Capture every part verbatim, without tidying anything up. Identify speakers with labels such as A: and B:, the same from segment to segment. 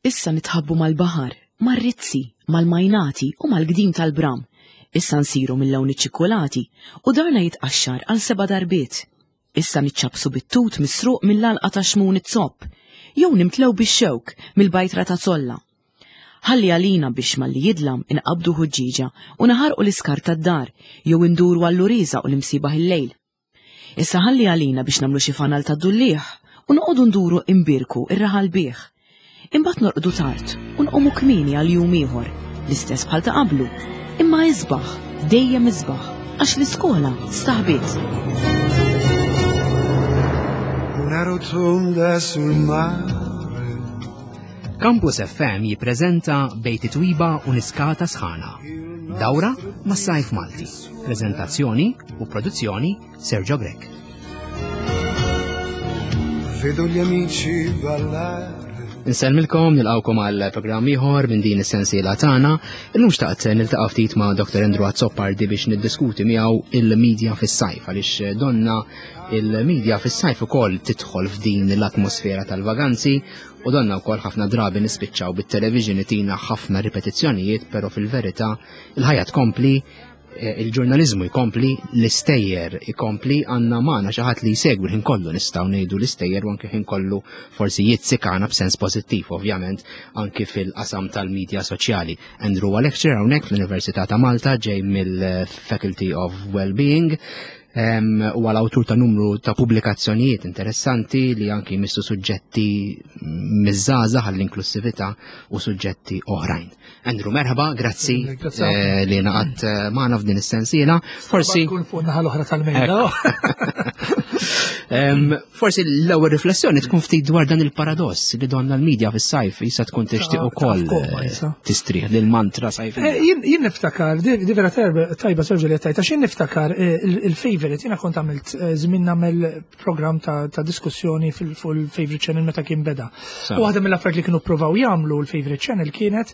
A: Issa nitħabbu mal-baħar, mar-rizzi, mal-majnati u mal-gdim tal-bram. Issa nsiru mill-lawn iċ-ċikkulati u darna jitqaxxar għal seba' darbiet. Issa niċċabsu bit-tut misruq mill-alqa ta' xmun it-zopp, jew nimtlew bix-xewk mill-bajtra ta' zolla. Ħalli għalina biex malli jidlam inqabdu ħuġġieġa u naħarqu l-iskar tad-dar jew induru għall-uriża u l-imsibaħ il-lejl. Issa ħalli għalina biex nagħmlu xi fanal ta' dulliħ u noqogħdu nduru imbirku ir-raħal bih. Imbagħad norqdu tard u nqumu kmieni għal jum ieħor, l-istess bħal ta' qablu, imma isbaħ, dejjem isbaħ, għax l-iskola staħbiet.
B: Una rotonda sul mare.
C: Campus F M jippreżenta Bejt Twiba u Niskata Sħana. Dawra mas-Sajf Malti. Prezentazzjoni u produzzjoni Sergio Grech.
B: Vedo gli amici ballare.
C: Insellmilkom, nilqawkom għal programm ieħor minn din is-sensiela tagħna. Illum xtaqt niltaqa' ftit ma' Doctor Andrew Azzopardi biex niddiskuti miegħu il-medja fis-sajf, għaliex donna il-medja fis-sajf ukoll tidħol f'din l-atmosfera tal-vaganzi u donna wkoll ħafna drabi nispiċċaw bit-television itina ħafna ripetizzjonijiet, però fil-verità il-ħajja tkompli, eh, il-ġurnalizmu jkompli, l-istejjer ikompli, għandna magħna xi ħadd li jsegwi l-ħin kollu, nistgħu ngħidu l-istejjer, u anke ħin kollu forsi jizzikana b'sens pożittiv, ovvjament, anki fil-qasam tal-medja soċjali. Andrew huwa lecturer hawnhekk fl-Università ta' Malta, ġej mill-Faculty of Wellbeing, u għal-awtur ta' numru ta' pubblikazzjonijiet interessanti li anki jmissu suġġetti miż-żgħażagħ, għall-inklusività u suġġetti oħrajn. Andrew, merħba, grazzi eh, li ngħaqadt eh, magħna f'din is-sensiela.
D: Forsi kun fuq naħa l-oħra tal-mejda.
C: Forsi l-ewwel riflessjoni tkun ftit dwar dan il-paradoss li donna l-medja fis-sajf jisa tkun tixtieq ukoll eh, tistrieħ lil mantra sajf.
D: Jien niftakar, di vera tajba, Sergio, li tajta, jien niftakar il-favorite, jiena kont għamilt żmien nagħmel programm ta' diskussjoni fuq il-favorite channel meta kien beda. U waħda mill-affarijiet li kienu provaw jagħmlu l-favorite channel kienet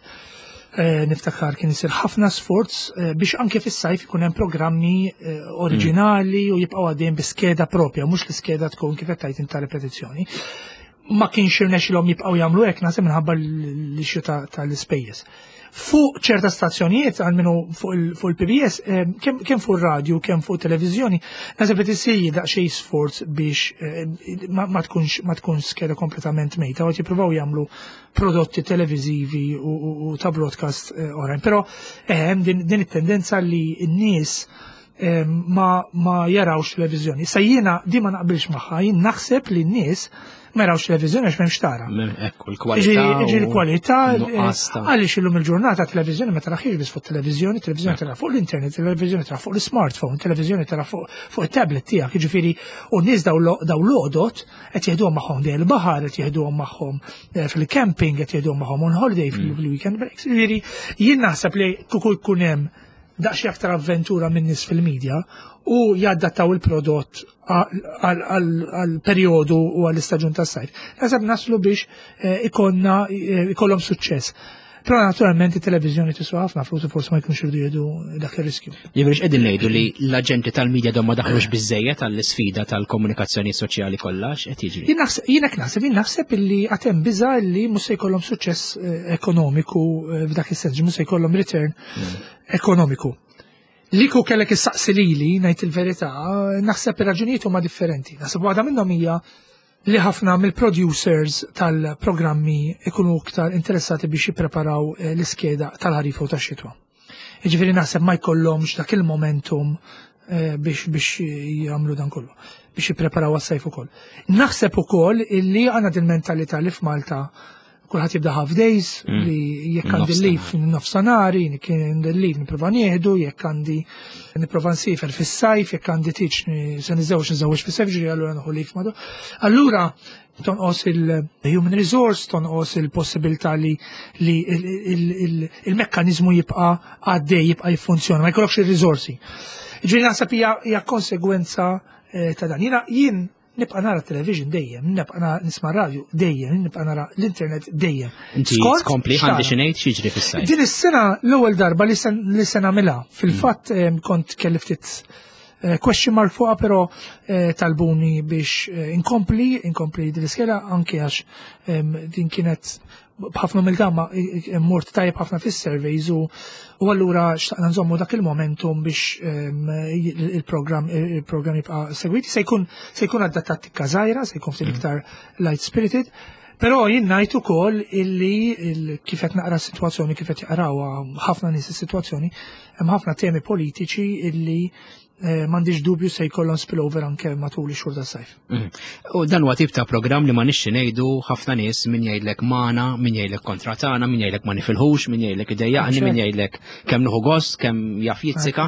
D: Eh, niftakar kien isir ħafna sforz eh, biex anke fis-sajf ikun hemm programmi eh, oriġinali u jibqgħu għaddejjin bi skeda propja, mhux l-iskeda tkun kif qed tgħid ta' repetizzjoni. Ma kienx irnexxilhom jibqgħu jagħmlu hekk, naħseb minħabba l-issue tal-ispejjeż. Fuq ċerta stazzjonijiet, għalmenu fuq il-P B S, kemm fuq radio, kemm fuq televizjoni, naħseb qed isir daqsxejn sforz biex ma tkunx ma tkunx skeda kompletament mejta, u jippruvaw jagħmlu prodotti televizivi u ta' broadcast eh, oħrajn. Però hemm din, din it-tendenza li n-nies eh, ma, ma jarawx televizjoni. Sa jiena di ma naqbilx magħha, jien naħseb li n-nies ma jarawx televizjoni għax m'hemmx tara.
C: Ekku, l-kwalità.
D: Ġi l-kwalità, eh, għaliex illum il-ġurnata televizjoni ma taraħiex biss fuq televizjoni, televizjoni tara fuq l-internet, televizjoni tara fuq l-smartphone, televizjoni tara fuq il-tablet tiegħek, jiġifieri u n-nies daw l-għodot qed jieħduhom magħhom dej il-baħar, qed jieħduhom magħhom eh, fil-camping, qed jieħduhom magħhom on holiday mm. fil-weekend breaks. Jiġifieri jien naħseb li kieku jkun hemm daqsxejn aktar avventura minn nies fil-medja u jaddattaw il-prodott għal-periodu u għall-istaġun tas-sajf. Naħseb naslu biex eh, ikonna eh, ikollhom suċċess. Però naturalment it-televiżjoni tiswa ħafna flus u forsi ma jkunx irdu jieħdu dak ir-riskju.
C: Jiġifieri qegħdin ngħidu li l-aġenti tal-medja dom ma daħlux biżejjed għall-isfida tal-komunikazzjoni soċjali kollha, x'qed jiġri?
D: Jien naħseb jien hekk naħseb, jien naħseb illi għad hemm biża li mhux se jkollhom suċċess eh, ekonomiku eh, f'dak is-sens, mhux se jkollhom return ekonomiku. Li kieku kellek issaqsi lili, ngħid il-verità, naħseb ir-raġunijiet huma differenti. Naħseb waħda minnhom hija li ħafna mill-producers tal-programmi ikunu iktar interessati biex jippreparaw eh, l-iskeda tal-ħarifa u tax-xitwa. Jiġifieri naħseb ma jkollhomx dak il-momentum eh, biex biex jagħmlu dan kollu, biex jippreparaw għas-sajf ukoll. Naħseb ukoll illi għandna din mentalità li f'Malta kulħadd jibda half days,
C: Mm.
D: li jekk għandi
C: Nofsinhar.
D: leave nofsanari, kien leave nipprova nieħdu, jekk għandi nipprova nsiefer fis-sajf, jekk għandi tiġ se niżewġ niżewġ fis-sajf, ġiri allura nieħu leave madu. Allura tonqos il-human resource, tonqos il-possibilità li li il-mekkanizmu jibqa' għaddej, jibqa' jiffunzjona, ma jkollokx il-risorsi. Ġifieri naħseb hija hija konsegwenza eh, ta' dan. Jiena jien nibqa' nara television dejjem, nibqa' nara- nisma' radio dejjem, nibqa' nara l-internet dejjem.
C: Inti
D: Skont
C: tkompli għandi
D: x'tara.
C: xi ngħid x'jiġri fis-sajf.
D: Din is-sena l-ewwel darba li sen li se nagħmilha. Fil-fatt em, kont kelli ftit eh, question mark fuqha, però eh, talbuni biex eh, inkompli, inkompli din l-iskeda anke għax em, din kienet B'ħafna umiltà ma mort tajjeb ħafna fis-surveys u u allura xtaqna nżommu dak il-momentum biex ehm, il-programm il-programm jibqa' segwiti. Se jkun se jkun adattat tikka żgħira, se jkun ftit iktar light spirited. Però jien ngħid ukoll illi il- kif qed naqra s-sitwazzjoni, kif qed jaqrawha ħafna nies is-sitwazzjoni, hemm ħafna temi politiċi illi eh, m'għandix dubju se jkollhom spillover anke matul ix-xhur tas-sajf.
C: Mhm. U dan huwa tip ta' programm li ma nixxi ngħidu ħafna nies, min jgħidlek magħna, min jgħidlek kontra tagħna, min jgħidlek ma nifilħux, min jgħidlek idejjaqni, min jgħidlek kemm nieħu gost, kemm jaf jitzika.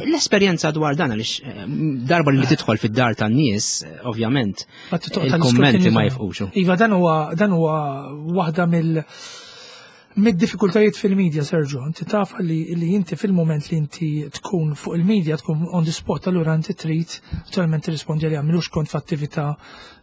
C: L-esperjenza dwar dan, għaliex eh, darba li tidħol fid-dar tan-nies, eh, ovvjament, il-kummenti ma jifqux.
D: Iva, dan huwa dan huwa waħda mill mid-diffikultajiet fil-media, Sergio. Inti taf li, li inti fil-moment li inti tkun fuq il-media, tkun on the spot, allura inti trid naturalment tirrispondi li għamilux. Kont f'attività,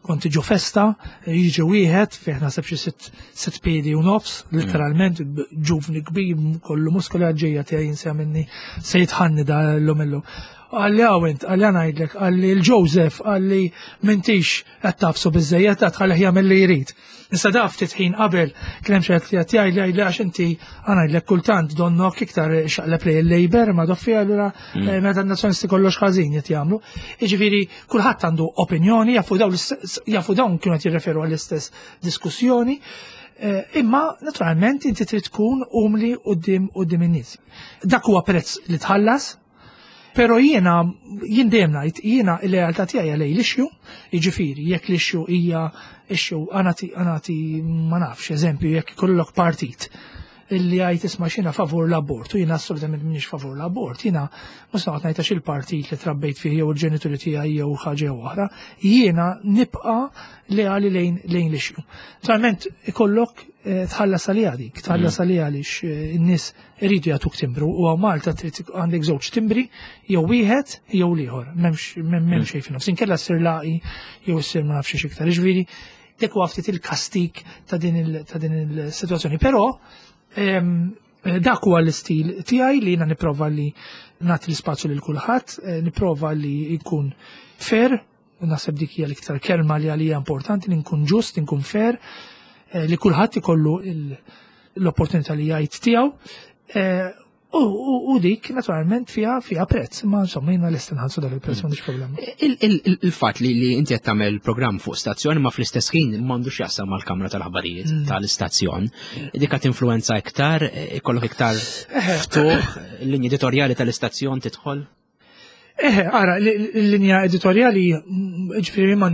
D: kont ġo festa, jiġi wieħed fih naħseb xi sitt sitt piedi u nofs, literalment, ġuvni kbir, kollu muskoli, għadġejja tiegħi jinsa minni se jitħanni da l-lum illum. Qalli, "Għaw int," qalli, "ngħidlek," qalli, "l-Joseph," qalli, "m'intix qed tafsu biżejjed, qed tħallih jagħmel li jrid." Issa da ftit ħin qabel kien hemm xi qed jgħid li għax inti ngħidlek kultant donnok iktar xaqleb li l-Labour ma doffi, allura mm. meta n-nazzjonisti kollox ħażin qed jagħmlu. Jiġifieri kulħadd għandu opinjoni, jafu dawn jafu dawn kienu qed jirreferu għall-istess diskussjoni. Eh, imma naturalment inti trid tkun umli quddiem quddiem in-nies. Dak huwa prezz li tħallas. Pero jiena, jien dejjem ngħid, jiena il-lealtà tiegħi lejn l-issue, jiġifieri jekk l-issue hija issue għanati għanati ma nafx, eżempju, jekk ikollok partit illi għajt isma' xina favur l-abort, u jiena assolutament m'iniex favur l-abort, jiena mhux noqgħod ngħid għax il-partit li trabbejt fih jew il-ġenituri tiegħi jew ħaġa jew oħra, jiena nibqa' leali lejn lejn l-issue. Naturalment ikollok eh, tħallas għalija dik, tħallas mm. għalija għaliex eh, in-nies iridu jagħtuk timbru u hawn Malta trid għandek żewġ timbri, jew wieħed jew l-ieħor, m'hemmx m'hemm mm. xejn fin-nofs. Inkella ssir laqi jew ssir ma nafx iktar. Jiġifieri dik huwa ftit il-kastik ta' din il-sitwazzjoni. Però dak huwa l-istil tiegħi li jiena nipprova li nagħti l-ispazju lil kulħadd, eh, nipprova li jkun fair, naħseb dik hija l-iktar kelma li għalija importanti, li nkun ġust, nkun fair, eh, li kulħadd ikollu l-opportunità li jgħid tiegħu. Eh, U, u, u dik naturalment fiha fiha prezz, ma insomma jiena lest nħallsu dak il-prezz, m'għandix problema.
C: Il-fatt li li inti qed tagħmel programm fuq stazzjon ma fl-istess ħin m'għandux jaqsam mal-kamra tal-aħbarijiet mm. tal-istazzjon, dik qed influenza iktar, ikollok iktar ftuħ, l-linja editorjali tal-istazzjon tidħol?
D: Eħe, ara, l-linja editorjali, ġifieri ma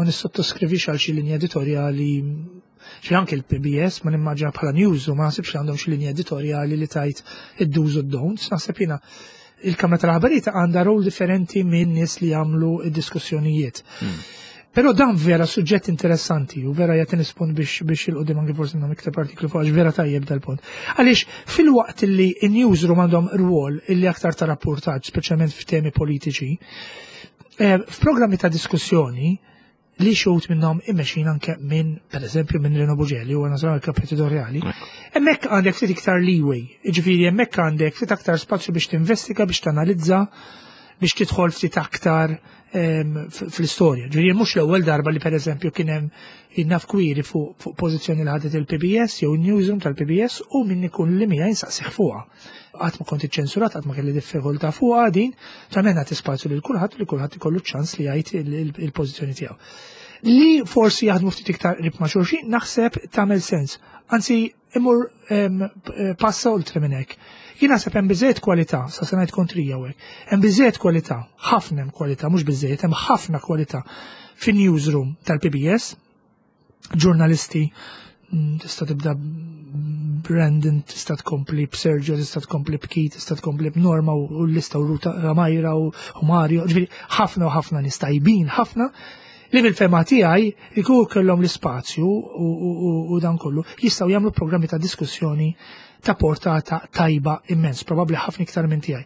D: nissottaskrivix għal xi linja editorjali xi anke l-P B S ma nimmaġina bħala news u ma naħsibx li għandhom xi linja editorjali li tajt id-do's u don'ts, naħseb jiena il-Kamra tal-Aħbarijiet għandha rol differenti minn nies li jagħmlu id-diskussjonijiet. Hmm. Però dan vera suġġett interessanti u vera jagħti nispon biex biex il-qudiem anke forsi nagħmel iktar artiklu fuq, għax vera tajjeb dal-punt. Għaliex fil-waqt li n-newsroom għandhom rwol illi aktar ta' rapportaġġ, speċjalment f'temi politiċi, eh, f'programmi ta' diskussjoni li xut minnhom immexin anke minn, per eżempju, minn Reno Bugelli, u għana kap editorjali, hemmhekk għandek ftit iktar leeway, ġifieri hemmhekk għandek ftit aktar spazju biex tinvestiga, biex tanalizza, biex tidħol ftit aktar fl-istorja. Ġifieri mhux l-ewwel darba li, per eżempju, kien hemm naf kwiri fuq fuq pożizzjoni li ħadet il-P B S jew il-newsroom tal-P B S u min ikun li mija jinsaqsih fuqha. Qatt ma kont iċċensurat, qatt ma kelli diffikultà fuqha din, ta' nagħti spazju lil kulħadd, li kulħadd ikollu ċans li jgħid il-pożizzjoni tiegħu. Li forsi jaħdmu ftit iktar qrib ma' xulxin, naħseb tagħmel sens. Anzi, imur passa oltre minn hekk. Jien naħseb hemm biżejjed kwalità, sa se ngħid kontrija hekk. Hemm biżejjed kwalità, ħafna hemm kwalità, mhux biżejjed, hemm ħafna kwalità fin-newsroom tal-P B S, ġurnalisti, mm, tista' tibda Brandon, tista' tkompli b'Sergio, tista' tkompli b'Keith, tista' tkompli b'Norma u l-lista u Ruta Majra u Mario, ġifieri ħafna u ħafna nies tajbin ħafna li fil-fehma tiegħi jkunu kellhom l-ispazju u dan kollu jistgħu jagħmlu programmi ta' diskussjoni ta' portata tajba immens, probabbli ħafna iktar minn tiegħi.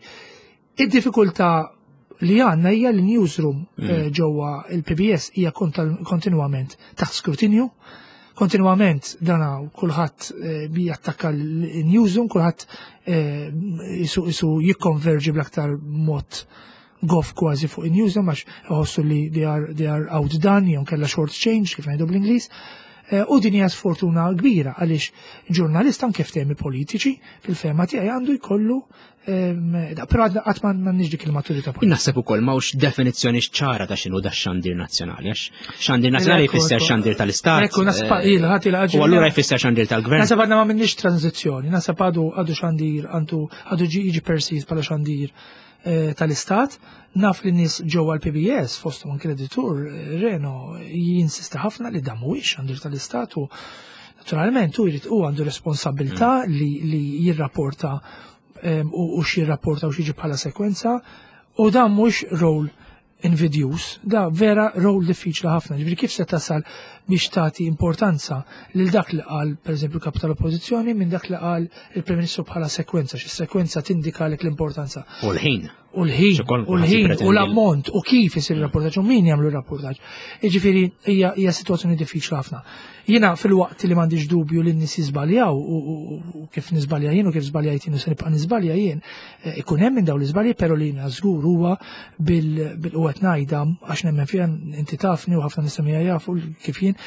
D: Id-diffikultà li għandna hija li newsroom mm. eh, ġewwa il-P B S hija kontinwament taħt skrutinju, kontinwament dana kulħadd eh, jattakka l-newsroom, kulħadd eh, isu jikkonverġi bl-aktar mod goff kważi fuq il-newsroom għax jħossu li they are, they are outdone jew kella short change, kif ngħidu bl-Ingliż. Eh, u din hija sfortuna kbira għaliex ġurnalist anke f'temi politiċi fil-fehma tiegħi għandu jkollu, però qatt ma m'għandniex dik il-maturità
C: politika. Naħseb ukoll m'hawnx definizzjoni ċara ta' x'inhu da xandir nazzjonali, għax xandir nazzjonali jfisser xandir tal-istat.
D: Ekku, naħseb
C: U allura jfisser xandir tal-gvern.
D: Naħseb għadna ma minnix tranzizzjoni, naħseb għadu għadu xandir għandu għadu jiġi perceived bħala xandir eh, tal-istat. Naf li nies ġewwa l-P B S, fosthom anke l-editur eh, Reno, jinsista ħafna li dan mhuwiex xandir tal-istat u naturalment u jrid u għandu responsabilità mm. li, li jirrapporta u, u x'jirrapporta u x'jiġi bħala sekwenza u dan mhux role invidjus, da vera role diffiċli ħafna. Ġifieri kif se tasal biex tagħti importanza lil dak li qal, pereżempju, kap tal-Oppożizzjoni minn dak li qal il-Prim Ministru bħala sekwenza, xi sekwenza tindika lek l-importanza.
C: U l-ħin.
D: U l-ħin, u l-ħin, u l-ammont, u kif isir il-rapportaġġ, u min jagħmlu r-rapportaġġ. Jiġifieri hija hija sitwazzjoni diffiċli ħafna. Jiena fil-waqt li m'għandix dubju li n-nies jiżbaljaw u kif niżbalja jien u kif żbaljajt jien u se nibqa' niżbalja jien, eh, ikun hemm minn dawn l-iżbalji, però li jiena żgur huwa bil u qed ngħidha għax nemmen fiha, inti tafni u ħafna nies jafu kif jien,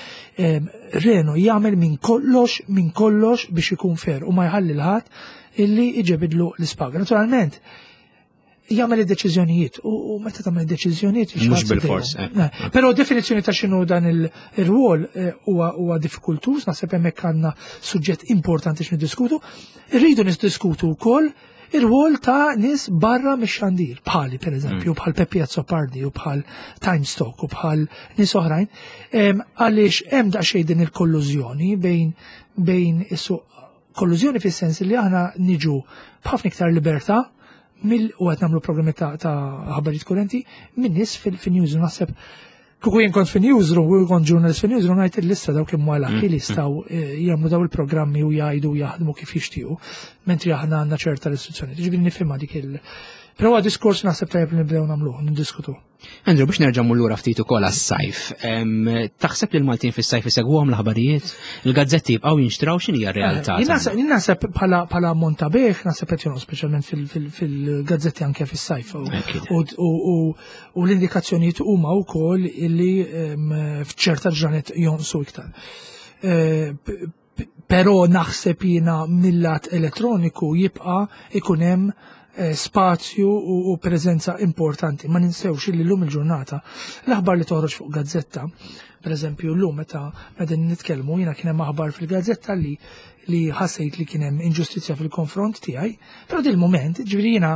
D: Reno jagħmel minn kollox minn kollox biex ikun fair u ma jħalli 'l ħadd illi iġebidlu l-ispaga. Naturalment, jagħmel id-deċiżjonijiet u meta tagħmel id-deċiżjonijiet
C: Mhux bil-fors.
D: Eh. Però definizzjoni ta' x'inhu dan il-rwol eh, huwa huwa diffikultuż, naħseb hemmhekk għandna suġġett importanti x'niddiskutu. Irridu niddiskutu wkoll ir-rwol ta' nies barra mix-xandir, bħali per eżempju, mm. bħal Peppi Azzopardi u bħal Timestock u bħal nies oħrajn, għaliex hemm daqsxejn din il-kollużjoni bejn bejn is-suq, kollużjoni fis-sens li aħna niġu b'ħafna iktar libertà mill u qed nagħmlu programmi ta' ħabarijiet kurrenti minn nies fil-newsroom. Naħseb kieku jien kont fin-newsroom u kont ġurnalist fin-newsroom, ngħid il-lista dawk kemm wara mm. li jistgħu eh, jagħmlu daw il-programmi u jgħidu u jaħdmu kif jixtiequ, mentri aħna għandna ċerta restrizzjoni. Ġifieri nifhimha dik il- Però huwa diskors naħseb tajjeb li nibdew nagħmluh, niddiskutu.
C: Andrew, biex nerġa' lura ftit ukoll għas-sajf, taħseb li l-Maltin fis-sajf isegwuhom l-aħbarijiet? Il-gazzetti jibqgħu jinxtraw? X'inhi r-realtà?
D: Eh, jien naħseb bħala bħala monta bejgħ naħseb qed jonqos, speċjalment fil-gazzetti anke fis-sajf. U l-indikazzjonijiet huma wkoll illi f'ċerta ġranet jonqsu iktar. Eh, però naħseb jiena mill-lat elettroniku jibqa' ikun hemm Eh, spazju u preżenza importanti. Ma ninsewx li llum il-ġurnata l-aħbar li toħroġ fuq gazzetta, per eżempju llum meta meta nitkellmu jiena kien hemm aħbar fil-gazzetta li li ħassejt li kien hemm inġustizzja fil-konfront tiegħi, però dil moment, ġifieri jiena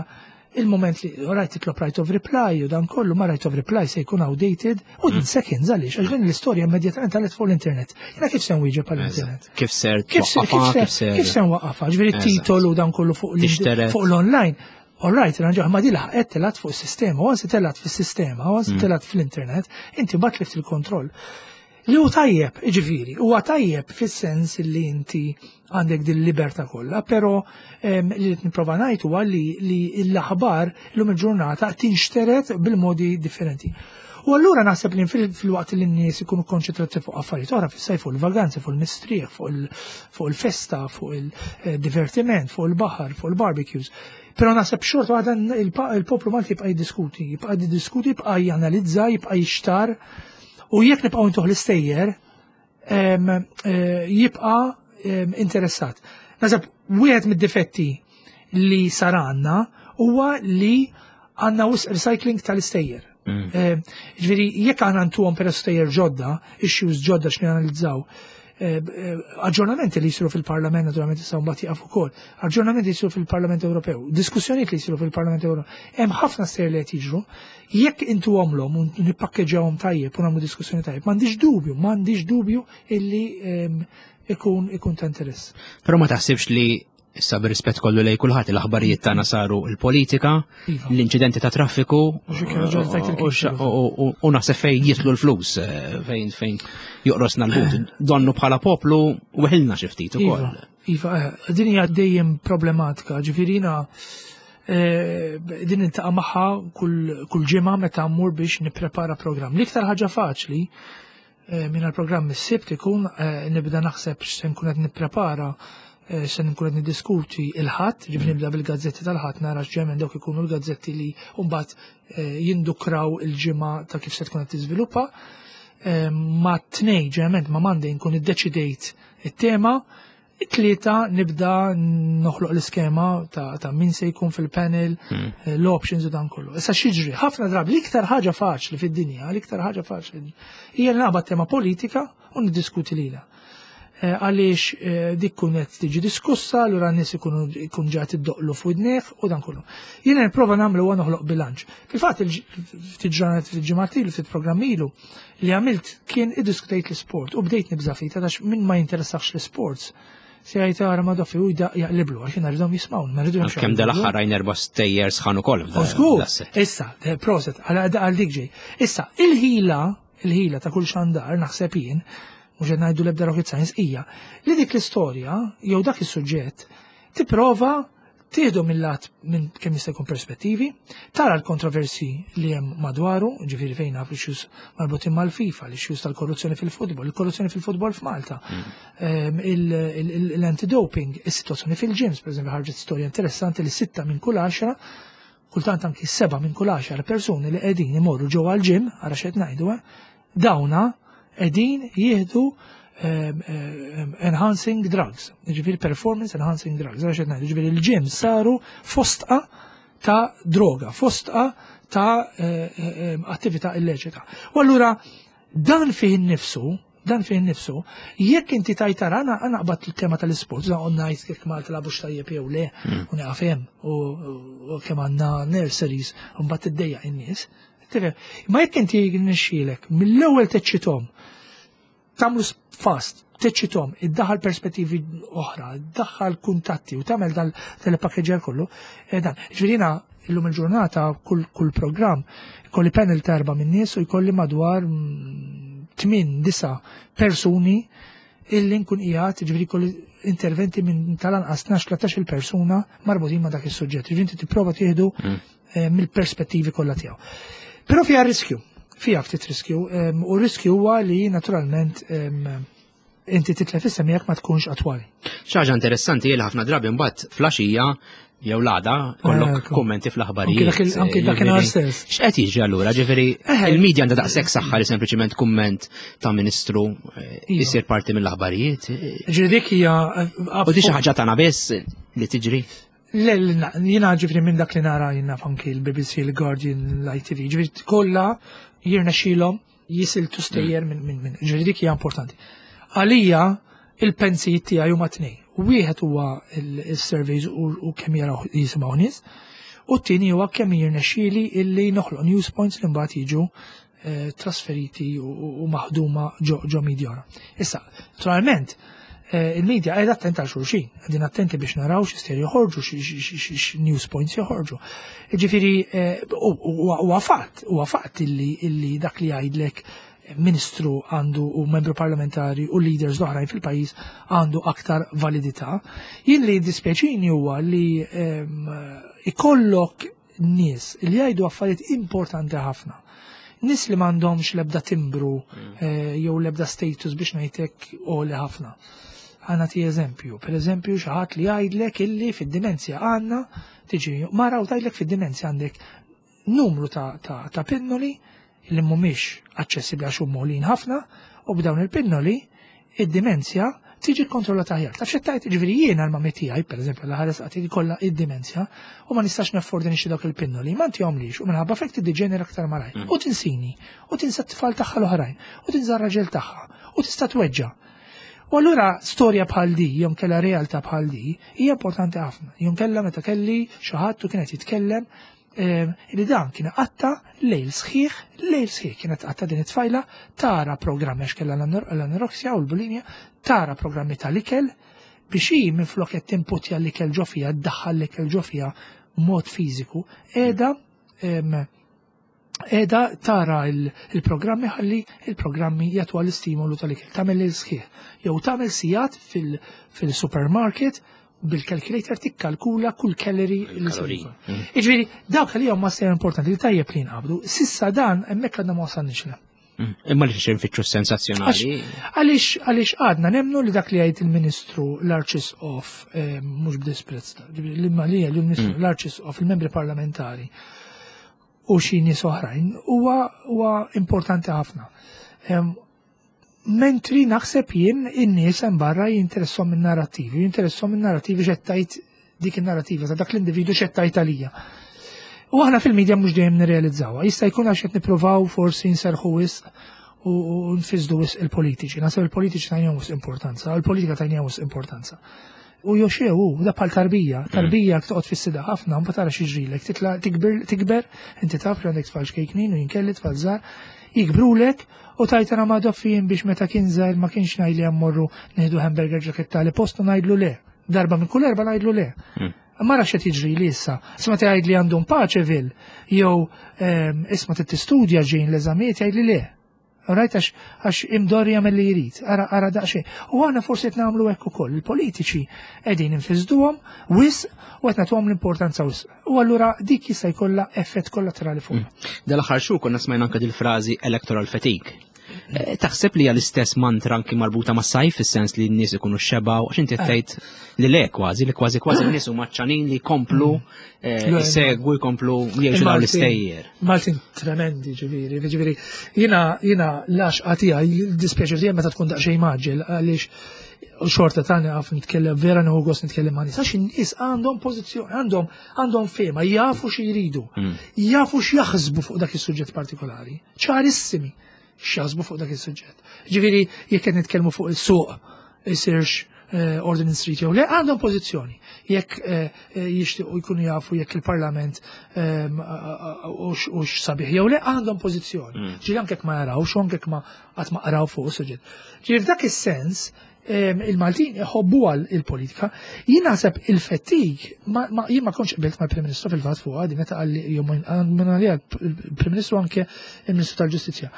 D: il-moment li rajt titlob right of reply u dan kollu, ma right of reply se jkun outdated u din mm. seconds, għaliex għax din l-istorja immedjatament telgħet fuq l-internet. Jiena kif se nwieġeb għall-internet?
C: Kif ser
D: kif se nwaqqafha? Ġifieri titolu dan kollu fuq l-online. All right, ranġaħ, ma di laħqet telgħet fuq is-sistema, u once telgħet fis-sistema, once mm. telgħet fl-internet, inti bat tlift il-kontroll. Li hu tajjeb, ġifieri, huwa tajjeb fis-sens li inti għandek din libertà kollha, però li qed nipprova ngħid huwa li l-aħbar llum il-ġurnata tinxteret bil-modi differenti. U allura naħseb li fil-waqt li n-nies ikunu konċentrati fuq affarijiet oħra fis-sajf, fuq il-vaganzi, fuq il-mistrieħ, fuq il-festa, fuq il-divertiment, fuq il-baħar, fuq il-barbecues. Però naħseb xorta waħda il-poplu Malti jibqa' jiddiskuti, jibqa' jiddiskuti, jibqa' janalizza, jibqa' jixtar. U jekk nibqgħu ntuh l-istejjer, eh, jibqa' interessat. Naħseb wieħed mid-difetti li sar għandna huwa li għandna wisq recycling tal-istejjer. Mm. Ġifieri, jekk għandna ntuhom per stejjer ġodda, issues ġodda x'nanalizzaw, eh, eh, aġġornamenti li jisiru fil-Parlament, naturalment issa mbagħad jaqaf ukoll, aġġornamenti li jisiru fil-Parlament Ewropew, diskussjonijiet li jisiru fil-Parlament Ewropew, hemm ħafna stejjer li qed jiġru, jekk intuhomlhom u nippakkeġġawhom tajjeb u nagħmlu diskussjoni tajjeb, m'għandix dubju, m'għandix dubju illi ikun ikun ta' interess.
C: Però ma taħsibx li issa, bir-rispett kollu lej kulħadd, l-aħbarijiet tagħna saru l-politika, iva. l-inċidenti ta' traffiku u naħseb fejn jidħlu l-flus, eh, fejn fejn joqrosna l-but. Donnu bħala poplu weħilna xi ftit ukoll.
D: Iva, iva, eh, din hija dejjem problematika, ġifieri jiena eh, din niltaqa' magħha kull ġimgħa meta mmur biex nipprepara programm. L-iktar ħaġa faċli minn għal-programm is-Sibt ikun nibda naħseb x'se nkun qed nipprepara, Eh, se nkun qed niddiskuti il-Ħadd, ġifieri nibda bil-gazzetti tal-Ħadd, nara x'ġemen dawk ikunu l-gazzetti li mbagħad eh, jindukraw il-ġimgħa ta' kif se tkun qed tiżviluppa. eh, ma tnejn, ġeneralment ma Monday nkun iddeċidejt it-tema, it-tlieta nibda noħloq l-iskema ta', ta' min se jkun fil-panel, eh, l-options u dan kollu. Issa x'jiġri, ħafna drabi, l-iktar ħaġa faċli fid-dinja, l-iktar ħaġa faċli hija li naqbad tema politika u niddiskuti lilha. Eh, Għaliex eh, dik kun qed tiġi diskussa, allura n-nies ikunu jkun ġa tiddoqqlu f'widnejh u dan kollu. Jiena nipprova nagħmlu huwa noħloq bilanċ. Fil-fatt ftit ġranet fil-ġimgħat ilu, ftit programm ilu li għamilt kien iddiskutejt l-sport u bdejt nibża' ftit għax min ma jinteressax l-sports. Se jgħid ara ma doffi u jaqliblu għax jiena rridhom jismgħu, ma rridhom
C: Kemm dal-aħħar rajna erba' stejjer sħan ukoll.
D: U żgur, issa, eh, proset, għal għal dik ġej. Issa, il-ħila, il-ħila ta' kull xandar, naħseb jien, mhux qed ngħidu l-ebda rocket science, hija li dik l-istorja jew dak is-suġġett tipprova tieħdu mill-lat minn kemm jista' jkun perspettivi, tara l-kontroversi li hemm madwaru, ġifieri fejn naf l-issues marbutin mal-FIFA, l-issues tal-korruzzjoni fil-futbol, il-korruzzjoni fil-futbol f'Malta, ehm, il- il- il- l-anti-doping, is-sitwazzjoni fil-gyms, per eżempju ħarġet storja interessanti li sitta minn kull għaxra, kultant anki seba minn kull għaxar persuni li qegħdin imorru ġewwa l-gym, ara x'qed ngħidu, eh, dawna qegħdin jieħdu ehm, ehm, enhancing drugs, ġifieri performance enhancing drugs, ara x'qed ngħidu, ġifieri il-gym saru fostqa ta' droga, fostqa ta' eh, eh, attività illeċita. U allura dan fih innifsu, dan fih innifsu, jekk inti tajtara, għana għana qbad il-tema tal-sport, dan ngħid jekk Malta lagħbux tajjeb jew le, u nieqaf hemm, u u kemm għandna nurseries, u mbagħad tiddejjaq in-nies. Tifhem? Ma jekk inti nixxielek mill-ewwel teċċithom, tagħmlu fast, teċċithom, iddaħħal perspettivi oħra, iddaħħal kuntatti u tagħmel dal tal-pakkeġġer kollu, eh, dan. Ġifieri jiena illum il-ġurnata kull kull programm jkolli panel ta' erba' minn nies u jkolli madwar mm, tmien disa' persuni illi nkun qiegħed ġifieri jkolli interventi minn tal-anqas tnax tlettax il persuna marbutin ma' dak is-suġġett. Ġifieri inti tipprova tieħdu eh, mill-perspettivi kollha tiegħu. Però fiha riskju, fiha ftit riskju, em, u riskju huwa li naturalment em, inti titlef isem jekk ma tkunx attwali.
C: Xi ħaġa interessanti li ħafna drabi mbagħad filgħaxija jew l-għada kollok
D: Ekku.
C: kummenti fl-aħbarijiet.
D: Anki dak il- anki dakinhar
C: Ġifieri,
D: stess.
C: X'qed jiġri allura? Ġifieri
D: Eħe.
C: il-medja għandha daqshekk saħħa li sempliċiment kumment ta' ministru eh,
D: Iva.
C: isir parti mill-aħbarijiet.
D: Ġifieri dik hija
C: U di xi ħaġa tagħna biss li tiġri.
D: Le, le, na- jiena ġifieri minn dak li nara jiena anki l-B B C, l-Guardian, l-I T V, ġifieri kollha jirnexxilhom jisiltu stejjer minn minn minn. Ġifieri dik hija importanti. Għalija il-pensijiet tiegħi huma tnejn. Wieħed huwa il-surveys u u kemm jaraw jisimgħu nies, u t-tieni huwa kemm jirnexxieli illi noħloq news points li mbagħad jiġu eh, trasferiti u, u u maħduma ġo, ġo media oħra. Issa, naturalment, eh, il-media qiegħda attenta għal xulxin, qegħdin attenti biex naraw x'isteri joħorġu, x' news points joħorġu. Ġifieri, eh, u- u- huwa fatt, huwa fatt illi, illi dak li jgħidlek ministru għandu u membru parlamentari u leaders l-oħrajn fil-pajjiż għandu aktar validità. Jien li dispjaċini huwa li em, ikollok nies li jgħidu affarijiet importanti ħafna. Nies li m'għandhomx l-ebda timbru eh, jew l-ebda status biex ngħidlek għoli ħafna. Ħa nati eżempju, per eżempju xi ħadd li jgħidlek illi fid-dimenzja għandna tiġi mara u tgħidlek fid-dimenzja għandek numru ta', ta, ta' pinnoli li mhumiex aċċessibbli għax huma għolin ħafna u b'dawn il-pinnoli id-dimenzja tiġi kontrollata aħjar. Taf x'tgħid? Ġifieri jiena l-mami tiegħi, pereżempju, l ħares qatt kollha id-dimenzja u ma nistax naffordi nixtri dawk il-pinnoli, ma ntihomlix u minħabba f'hekk tiddiġenera aktar malajr. U tinsini, u tinsa t-tfal tagħha l-oħrajn, u tinsa r-raġel tagħha, u tista' tweġġa'. U allura storja bħal di, jew kella realtà bħal di, hija importanti ħafna. Jew kella meta kelli xi ħadd u kienet jitkellem eh, li dan kien qatta lejl sħiħ, lejl sħiħ kienet qatta din it-tfajla tara programmi għax kellha l-anoreksja u l-bulimja, tara programmi tal-ikel biex hi minn flok qed timputja l-ikel ġo fiha, ddaħħal l-ikel ġo fiha mod fiżiku, qiegħda em, qiegħda tara il- il-programmi ħalli il-programmi jagħtu l-istimolu tal-ikel. Tagħmel il-sħiħ. Jew tagħmel sigħat fil- fil-supermarket bil-calculator tikkalkula kull calorie li se
C: Kaloriji.
D: jkun. Jiġifieri, dawk li huma sejjer importanti li tajjeb li nqabdu. S'issa dan hemmhekk għadna ma wasalniex le.
C: Mm. Imma li xi nfittxu sensazzjonali.
D: Għaliex għaliex għadna nemnu li dak li jgħid il-Ministru l-Arċisqof, eh, mhux b'disprezz, ġifieri li li l-Ministru l-Arċisqof, il-membri parlamentari u xi nies oħrajn huwa huwa importanti ħafna. Mentri naħseb jien in-nies hemm barra jinteressom in-narrativi, jinteressom in-narrativi x'qed dik in-narrativa ta' dak l-individu x'qed tgħid għalija. U aħna fil-medja mhux dejjem nirrealizzawha. Jista' jkun għax qed nippruvaw forsi nserħu wisq u nfisdu wisq il-politiċi. Naħseb il-politiċi tajnihom wisq importanza, il-politika tajnihom wisq importanza. U joxew, da bħal tarbija, tarbija toqgħod fis-sida ħafna, mbagħad tara x'jiġrilek, titla' tikber, tikber, inti taf li għandek tfal xkejknin u jinkelli tfal żgħar, jikbrulek u tajtana ma doffijin biex meta kien żgħir ma kienx ngħidli mmorru nieħdu hamburger ġaketta li postu ngħidlu le. Darba minn kull erba ngħidlu le. Ma rax qed jiġri li issa. Isma' tgħid li għandhom paċevil jew isma' trid tistudja ġejn l-eżamijiet jgħidli le. Rajt għax għax imdorri jagħmel li jrid, ara ara daqsxejn. U aħna forsi qed nagħmlu hekk ukoll. Il-politiċi qegħdin infisduhom wisq u qed nagħtuhom l-importanza wisq. U allura dik jista' jkollha effett kollaterali fuq.
C: Dal-aħħar xhur konna smajna anke dil-frażi electoral fatigue. Taħseb li hija l-istess mantra anki marbuta ma' sajf fis-sens li n-nies ikunu xebaw, għax inti tgħid li le kważi, li kważi kważi n-nies huma ċanin li jkomplu jsegwu, jkomplu jgħixu dawn l-istejjer.
D: Maltin tremendi, ġifieri, ġifieri, jiena jiena l-għaxqa tiegħi dispjaċir tiegħi meta tkun daqsxejn maġġel għaliex xorta tani għaf nitkellem, vera nieħu gost nitkellem ma' nies, għax in-nies għandhom pożizzjoni, għandhom għandhom fehma, jafu xi jridu, jafu x'jaħsbu fuq dak is-suġġett partikolari, ċarissimi x'jaħsbu fuq dak is-suġġett. Ġifieri jekk qed nitkellmu fuq is-suq isirx Ordinance Street jew le, għandhom pożizzjoni. Jekk jixtiequ jkunu jafu jekk il-Parlament hux sabiħ jew le, għandhom pożizzjoni. Ġifieri anke jekk ma jarawx, anke jekk ma qatt ma qraw fuq is-suġġett. Ġifieri f'dak is-sens il-Maltin iħobbu għal il-politika. Jien naħseb il-fatigue, jien ma kontx qbilt mal-Prim Ministru fil-fatt fuq għadi meta qalli jew minn għalija il-Prim Ministru anke il-Ministru tal-Ġustizzja.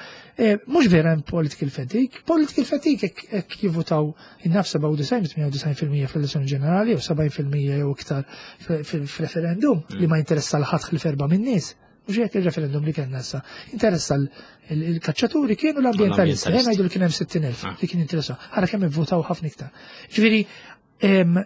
D: Mhux vera hemm political fatigue, political fatigue hekk jivvutaw in-naf sebgħa u disgħin, tmienja u disgħin fil-mija fl-elezzjoni ġenerali u sebgħin fil-mija jew iktar fil-referendum li ma jinteressa l-ħadd ħlief erba' min-nies. Mhux hekk il-referendum li kellna issa. Interessa l-kaċċaturi kienu l-ambientalisti. Ejja ngħidu li kien hemm sittin elf li kien interessa. Ara kemm ivvutaw ħafna iktar. Ġifieri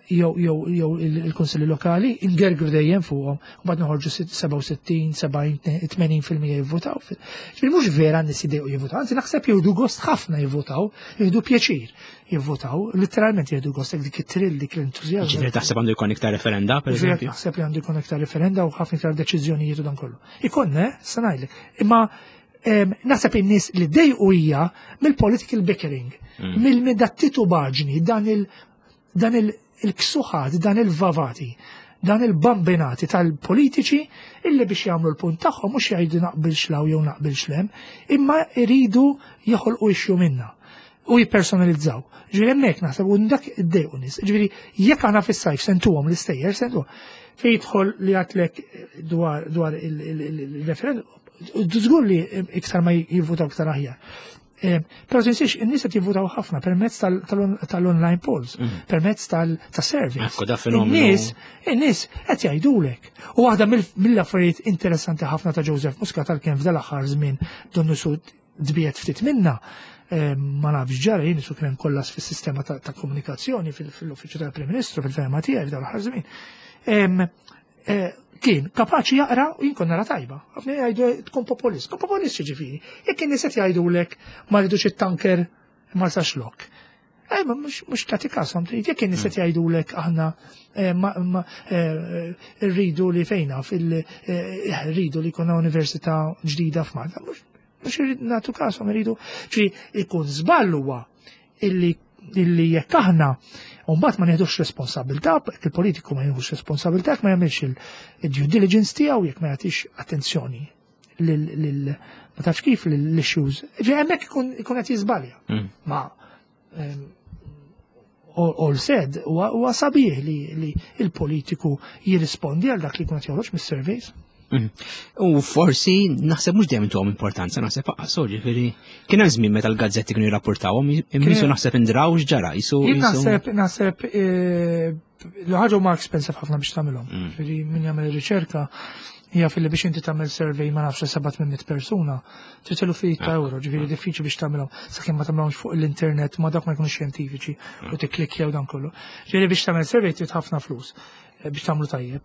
D: jew jew jew il-kunsilli lokali ingergru dejjem fuqhom u bad noħorġu sebgħa u sittin, sebgħin, tmenin fil-mija jivvutaw. Ġifieri mhux vera n-nies jidejqu jivvutaw, anzi naħseb jieħdu gost ħafna jivvutaw, jieħdu pjaċir jivvutaw, literalment jieħdu gost dik it-trill, dik l-entużjażmu.
C: Ġifieri taħseb għandu jkun iktar referenda, per
D: Ġifieri
C: eżempju?
D: naħseb li għandu jkun iktar referenda u ħafna iktar deċiżjonijiet u dan kollu. Ikonna, sa ngħidlek, imma naħseb in-nies li dejqu hija mill-political bickering, mill-titubaġni, dan il- dan il-ksuħat, dan il-vavati, dan il-bambinati tal-politiċi illi biex jagħmlu l-punt tagħhom mhux jgħidu naqbilx law jew naqbilx lem, imma jridu joħolqu issue minna u jippersonalizzaw. Ġifieri hemmhekk naħseb u dak iddejqu nies. Ġifieri jekk aħna fis-sajf sentuhom l-istejjer, sentuhom. Fejn jidħol li għatlek dwar, dwar il-referendum, żgur li iktar ma jivvutaw iktar aħjar. Però tinsiex, in-nies qed jivvutaw ħafna permezz tal-online polls, permezz tal-surveys.
C: Ekku, da fenomenu.
D: In-nies, in-nies qed jgħidulek. U waħda mill-affarijiet interessanti ħafna ta' Joseph Muscat għalkemm f'dal aħħar żmien donnu su dbiet ftit minna, ma nafx ġara jien su kien kollas fis-sistema ta' komunikazzjoni fil-uffiċċju tal-Prim Ministru fil-fehma tiegħi f'dal aħħar żmien. Kien kapaċi jaqra u jien konna nara tajba. Ħafna jgħidu tkun populist. Tkun populist jiġifieri. Jekk in-nies qed jgħidulek ma rridux it-tanker Marsaxlokk. Ej, ma mhux, mhux tagħti kashom, trid jekk in-nies qed jgħidulek aħna, eh, ma, ma, eh, rridu li fejna fil, eh, rridu li jkollna università ġdida f'Malta. Mhux, mhux irrid nagħtu kashom, irridu. Ġifieri ikun żball huwa illi illi jekk aħna u mbagħad ma nieħdux responsabilità, jekk il-politiku ma jieħux responsabilità, jekk ma jagħmilx il-due diligence tiegħu, jekk ma jagħtix attenzjoni lil, lil, ma tafx kif lil-issues. Ġi hemmhekk ikun, ikun qed jiżbalja.
C: Mm.
D: Ma, ehm, all, all said, huwa, huwa sabiħ li, li il-politiku jirrispondi għal dak li jkun qed joħroġ mis-surveys.
C: Mm. U forsi naħseb mhux dejjem intuhom importanza, naħseb aqas, ġifieri kien hemm żmien meta l-gazzetti kienu jirrapportawhom, imma jisu naħseb indraw x'ġara, jisu
D: Jien
C: jisu
D: naħseb, naħseb, eh, l-ħaġa huma expensive ħafna biex tagħmilhom.
C: Mm.
D: Ġifieri min jagħmel ir-riċerka hija fil-li biex inti tagħmel survey ma nafx seba' tmien mitt persuna, trid eluf ta'
C: Ah.
D: euro, ġifieri diffiċli biex tagħmilhom sakemm ma tagħmilhomx fuq l-internet ma dak ma jkunux xjentifiċi u tikklikkjaw dan kollu. Ġifieri biex tagħmel survey trid ħafna flus. biex tagħmlu tajjeb.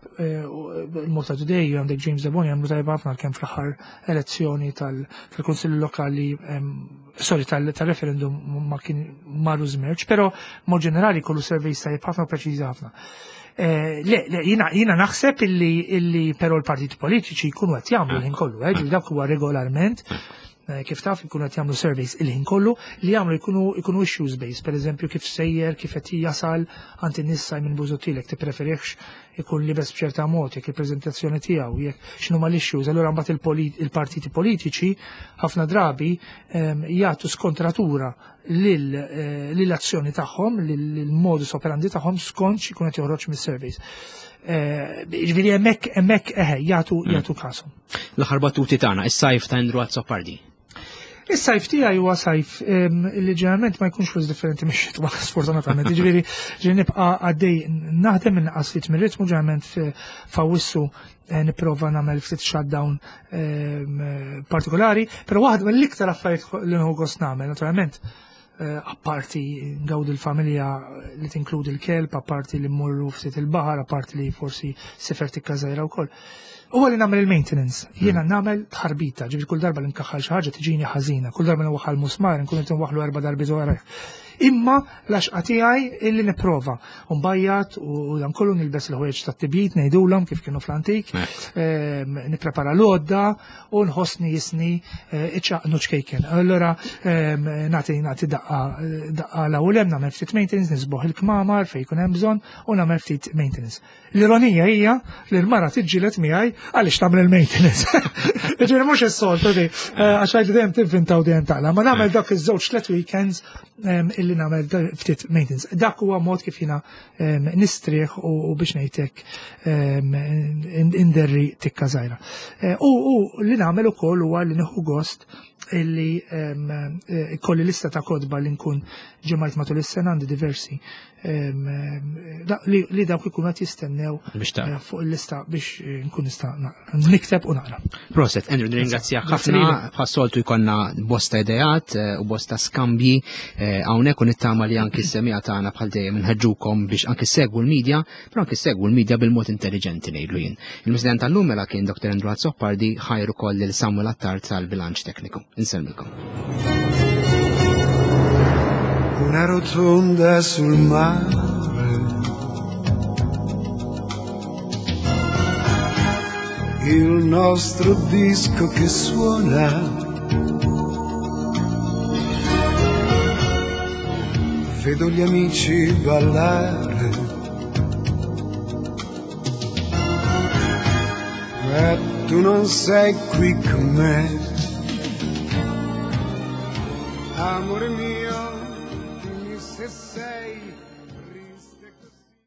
D: Il-Malta Today għandek James Deboni jagħmlu tajjeb ħafna kemm fl-aħħar elezzjoni tal-Kunsill Lokali, sorry, tal-referendum ma kien marru żmerġ, però mod ġenerali kollu surveys tajjeb ħafna u preċiżi ħafna. Le, le, jiena naħseb illi illi però l-partiti politiċi jkunu qed jagħmlu l-ħin kollu, ġifieri dak huwa regolarment kif taf jkunu qed jagħmlu surveys il-ħin kollu li jagħmlu jkunu jkunu issues based, pereżempju kif sejjer, kif qed jasal għand in-nies Simon Busuttil jekk tippreferihx ikun libes b'ċerta mod, jekk il-preżentazzjoni tiegħu, jekk x'inhuma l-issues, allura mbagħad il-partiti politiċi ħafna drabi jagħtu skontratura lill-azzjoni tagħhom, lill-modus operandi tagħhom skont x'ikun qed joħroġ mis-surveys. Ġifieri hemmhekk hemmhekk eħe jagħtu jagħtu kasu.
C: L-aħħar battuti tagħna, is-sajf ta' Andrew Azzopardi.
D: Is-sajf tiegħi huwa sajf li ġeneralment ma jkunx flus differenti mix-xitwa sfortunatament. Ġifieri ġifieri nibqa' għaddej naħdem inqas ftit mir-ritmu ġeneralment f'Awwissu nipprova nagħmel ftit shutdown partikolari, però waħda mill-iktar affarijiet li nħu gost nagħmel naturalment apparti ngawdi l-familja li tinkludi l-kelb, apparti li mmorru ftit il-baħar, apparti li forsi sifer tikka żgħira wkoll. Huwa li nagħmel il-maintenance. Jiena nagħmel tħarbita, ġifieri kull darba li nkaħħal xi ħaġa tiġini ħażina, kull darba li nwaħħal musmar nkun qed nwaħħlu erba' darbi wara. Imma l-għaxqa tiegħi illi nipprova. Mbajjat u dan kollu nilbes il-ħwejjeġ tat-tibjid ngħidulhom kif kienu fl-antik, nipprepara l-għodda u nħossni jisni iċċaqnu ċkejken. Allura nagħti nagħti daqqa daqqa l-ewwel hemm nagħmel ftit maintenance, nisboħ il-kmamar fejn jkun hemm bżonn u nagħmel ftit maintenance. L-ironija hija li l-mara tiġġieled miegħi għaliex tagħmel il-maintenance. Jiġifieri mhux is-soltu di, għax għajdu dejjem tivvintaw dejjem taqla, ma nagħmel dak iż-żewġ tliet weekends illi nagħmel ftit maintenance. Dak huwa mod kif jiena nistrieħ u biex ngħidlek inderri tikka żgħira. U li nagħmel ukoll huwa li nieħu gost illi kolli lista ta' kotba li nkun ġemajt matul is-sena għandi diversi li dawk ikunu qed jistennew fuq il-lista biex nkun nista' nikteb u naqra.
C: Proset, Andrew, nirringrazzjak ħafna, bħas-soltu jkollna bosta ideat u bosta skambji hawnhekk u nittama li anki s-semija tagħna bħal dejjem inħeġġukom biex anki segwu l-medja, però anki segwu l-medja bil-mod intelligenti ngħidlu jien. Il-President tal-lum mela kien Doktor Andrew Azzopardi, ħajru koll lil Samuel Attard tal-bilanċ tekniku. Insellmilkom.
B: Una rotonda sul mare, il nostro disco che suona, vedo gli amici ballare, ma tu non sei qui con me, amore mio.